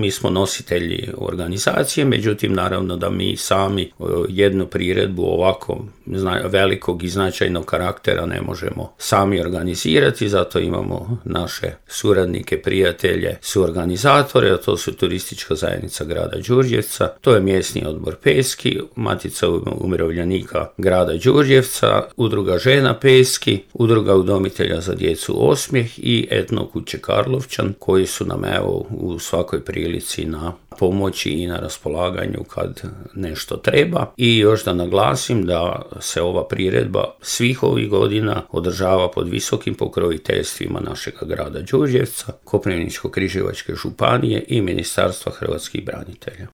mi smo nositelji organizacije, međutim naravno da mi sami jednu priredbu ovako velikog i značajnog karaktera ne možemo sami organizirati, zato imamo naše suradnike, prijatelje, suorganizatore, a to su Turistička zajednica grada Đurđevca, to je mjesni odbor Peski, Matica umirovljenika grada Đurđevca, Udruga žena Peski, Udruga udomitelja za djecu Osmijeh i Etno kuće Karlovčan, koji su nam evo u svakoj prilici na pomoći i na raspolaganju kad nešto treba. I još da naglasim da se ova priredba svih ovih godina održava pod visokim pokroviteljstvima našeg grada Đurđevca, Koprivničko-križevačke županije i Ministarstva hrvatskih branitelja.